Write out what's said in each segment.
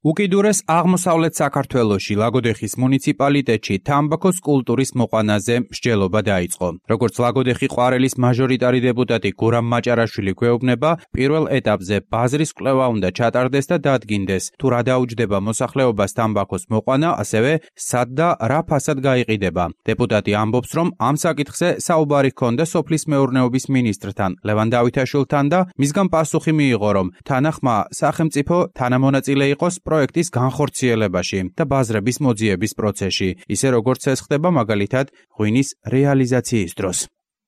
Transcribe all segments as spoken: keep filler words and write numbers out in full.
უკიდურეს აღმოსავლეთ საქართველოში ლაგოდეხის მუნიციპალიტეტში თამბაქოს კულტურის მოყვანაზე მსჯელობა დაიწყო. როგორც ლაგოდეხი ყვარელის მაჟორიტარი დეპუტატი გურამ მაჭარაშვილი გვეუბნება, პირველ ეტაპზე ბაზრის კვლევა უნდა ჩატარდეს და დადგინდეს, თუ რა დაუჯდება მოსახლეობას თამბაქოს მოყვანა, ასევე სად და რა ფასად გაიყიდება. დეპუტატი ამბობს, რომ ამ საკითხზე საუბარი ჰქონდა სოფლის მეურნეობის მინისტრთან, ლევან დავითაშვილთან და მისგან პასუხი მიიღო, რომ თანახმა სახელმწიფო თანამონაწილე იყოს პროექტის განხორციელებაში და ბაზრების მოძიების პროცესში, ისე როგორც ეს ხდება მაგალითად ღვინის რეალიზაციის დროს.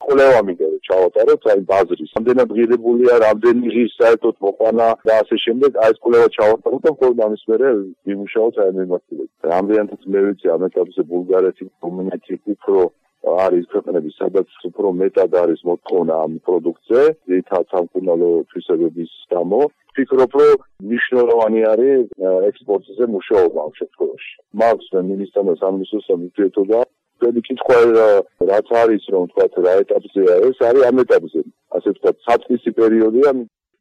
კვლევა მინდა რომ ჩავატაროთ, აი ბაზრის რამდენად ღირებულია, რამდენი ღირს საერთოდ მოყვანა და ასე შემდეგ, აი ეს კვლევა ჩავატაროთ და მხოლოდ ამის მერე ვიმუშაოთ აი მიმართულებით. რამდენადაც მე ვიცი ამ ეტაპზე ბულგარეთი, რუმინეთი უფრო არის ქვეყნები, სადაც უფრო მეტად არის მოთხოვნა ამ პროდუქტზე, ძირითადად სამკურნალო თვისებების გამო. ვფიქრობ, რომ მნიშვნელოვანი არის ექსპორტზე მუშაობა ამ შემთხვევაში. მაქვს მინისტრთან და სამინისტროსთან ურთიერთობა. Trebuie კითხვა რაც არის, რომ თქვათ რა ეტაპზეა ეს, არის ამ ეტაპზე. ასე ვთქვათ, საწყისი პერიოდია.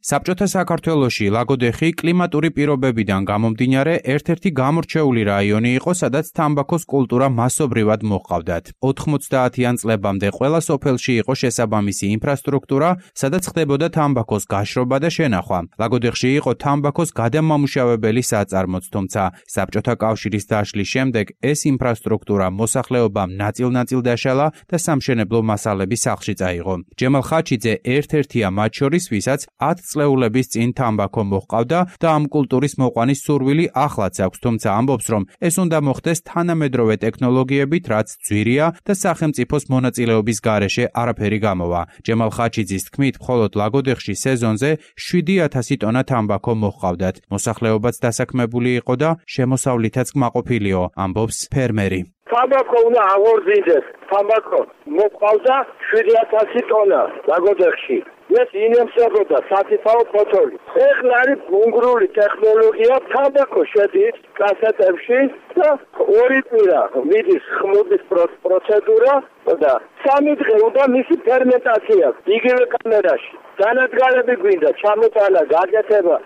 საბჭოთა საქართველოში ლაგოდეხი კლიმატური პირობებიდან გამომდინარე ერთ-ერთი გამორჩეული რაიონი იყო, სადაც თამბაქოს კულტურა მასობრივად მოჰყავდათ. ოთხმოცდაათიან წლებამდე ყველა სოფელში იყო შესაბამისი ინფრასტრუქტურა, სადაც ხდებოდა თამბაქოს გაშრობა და შენახვა. ლაგოდეხში იყო თამბაქოს გადამამუშავებელი საწარმოც, თუმცა საბჭოთა კავშირის დაშლის შემდეგ ეს ინფრასტრუქტურა მოსახლეობამ ნაწილ-ნაწილ დაშალა და სამშენებლო მასალები სახლში წაიღო. ჯემალ ხაჩიძე ერთ-ერთია მათ შორის, ვისაც ათ წლეულების წინ თამბაქო მოჰყავდა და ამ კულტურის მოყვანის სურვილი ახლაც აქვს, თუმცა ამბობს, რომ ეს უნდა მოხდეს თანამედროვე ტექნოლოგიებით, რაც ძვირია და სახელმწიფოს მონაწილეობის გარეშე არაფერი გამოვა. ჯემალ ხაჩიძის თქმით, მხოლოდ ლაგოდეხში სეზონზე შვიდი ათასი ტონა თამბაქო მოჰყავდათ. მოსახლეობაც დასაქმებული იყო და შემოსავლითაც კმაყოფილიო, ამბობს ფერმერი. თამბაქო უნდა აღორძინდეს. თამბაქო მოჰყავდა შვიდი ათასი ტონა ლაგოდეხში. ეს ინემსებოდა სათითაო ფოთოლი. ეხლა არის უნგრული ტექნოლოგია, თამბაქო შედის კასეტებში და ორი კვირა მიდის ხმობის პროცედურა და სამი დღე უნდა მისი ფერმენტაცია იგივე კამერაში. განადგალები გვინდა, ჩამოტანა, გაკეთება.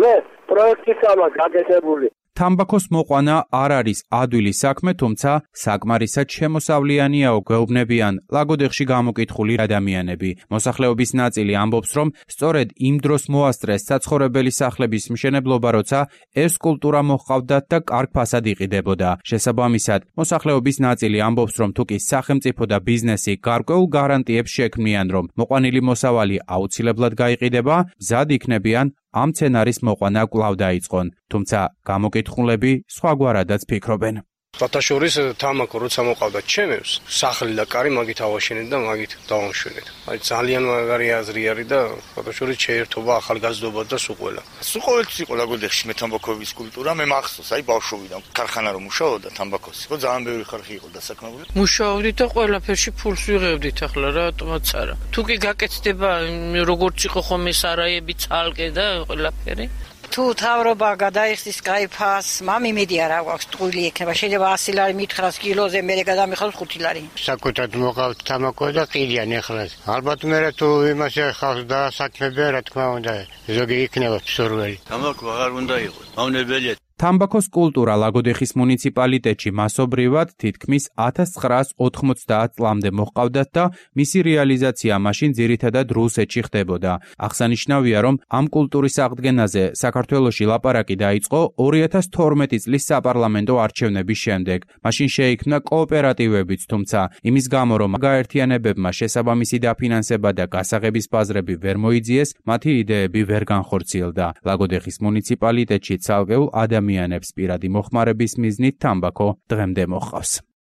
მე პროექტისაა გაკეთებული. თამბაქოს მოყვანა არ არის ადვილის საქმე, თუმცა საკმარისად შემოსავლიანიაო, გვეუბნებიან ლაგოდეხში გამოკითხული ადამიანები. მოსახლეობის ნაწილი ამბობს, რომ სწორედ იმ დროს მოასწრეს საცხოვრებელი სახლების მშენებლობა, როცა ეს კულტურა მოჰყავდათ და კარგ ფასად იყიდებოდა. შესაბამისად, მოსახლეობის ნაწილი ამბობს, რომ თუკი სახელმწიფო და ბიზნესი გარკვეულ გარანტიებს შექმნიან, რომ მოყვანილი მოსავალი აუცილებლად გაიყიდება, მზად იქნებიან ამ სცენარის მოყვანა კვლავ დაიწყონ, თუმცა გამოკითხულები სხვაგვარადაც ფიქრობენ. ბათაშორის თამბაქო როცა მოყავდა ჩემებს, სახლი და კარი მაგით ავაშენეთ და მაგით დავამშვენეთ. აი ძალიან მაგარი აზრი არის და ბათაშორის შეერთობა ახალგაზრდობა და სულ ყველა. სულ ყოველთვის იყო ლაგოდეხში მე თამბაქოების კულტურა, მე მახსოვს, აი ბავშვობიდან ქარხანა რომ მუშაობდა თამბაქოს, იყო ძალიან ბევრი ხალხი იყო დასაქმებული. მუშაობდით და ყველაფერში ფულს ვიღებდით ახლა რატომაც არა. თუ კი გაკეთდება როგორც იყო ხომ ეს არაები ცალკე და ყველაფერი. თუ თავრობა გადაიხსნის კაიფას, მამი მიდი არა გვაქვს ტყუილი ექნება, შეიძლება ასი ლარი მითხრას კილოზე, მე გადამიხავს ხუთი ლარი. საკუთად მოყავთ თამბაქო და ყიდიან ეხლა. ალბათ მე თუ იმასე ხალხს დაასაქმებია, რა თქმა უნდა, ზოგი იქნება მსურველი. თამბაქო აღარ უნდა იყოს, მავნებელია. თამბაქოს კულტურა ლაგოდეხის მუნიციპალიტეტში მასობრივად თითქმის ათას ცხრაას ოთხმოცდაათ წლამდე მოჰყავდათ და მისი რეალიზაცია მაშინ ძირითადად რუსეთში ხდებოდა. აღსანიშნავია, რომ ამ კულტურის აღდგენაზე საქართველოში ლაპარაკი დაიწყო ორი ათას თორმეტი წლის საპარლამენტო არჩევნების შემდეგ. მაშინ შეიქმნა კოოპერატივებიც, თუმცა იმის გამო, რომ გაერთიანებებმა შესაბამისი დაფინანსება და გასაღების ბაზრები ვერ მოიძიეს, მათი იდეები ვერ განხორციელდა. ლაგოდეხის მუნიციპალიტეტში ცალკეულ ადამიანებს პირადი მოხმარების მიზნით თამბაქო დღემდე მოჰყავს.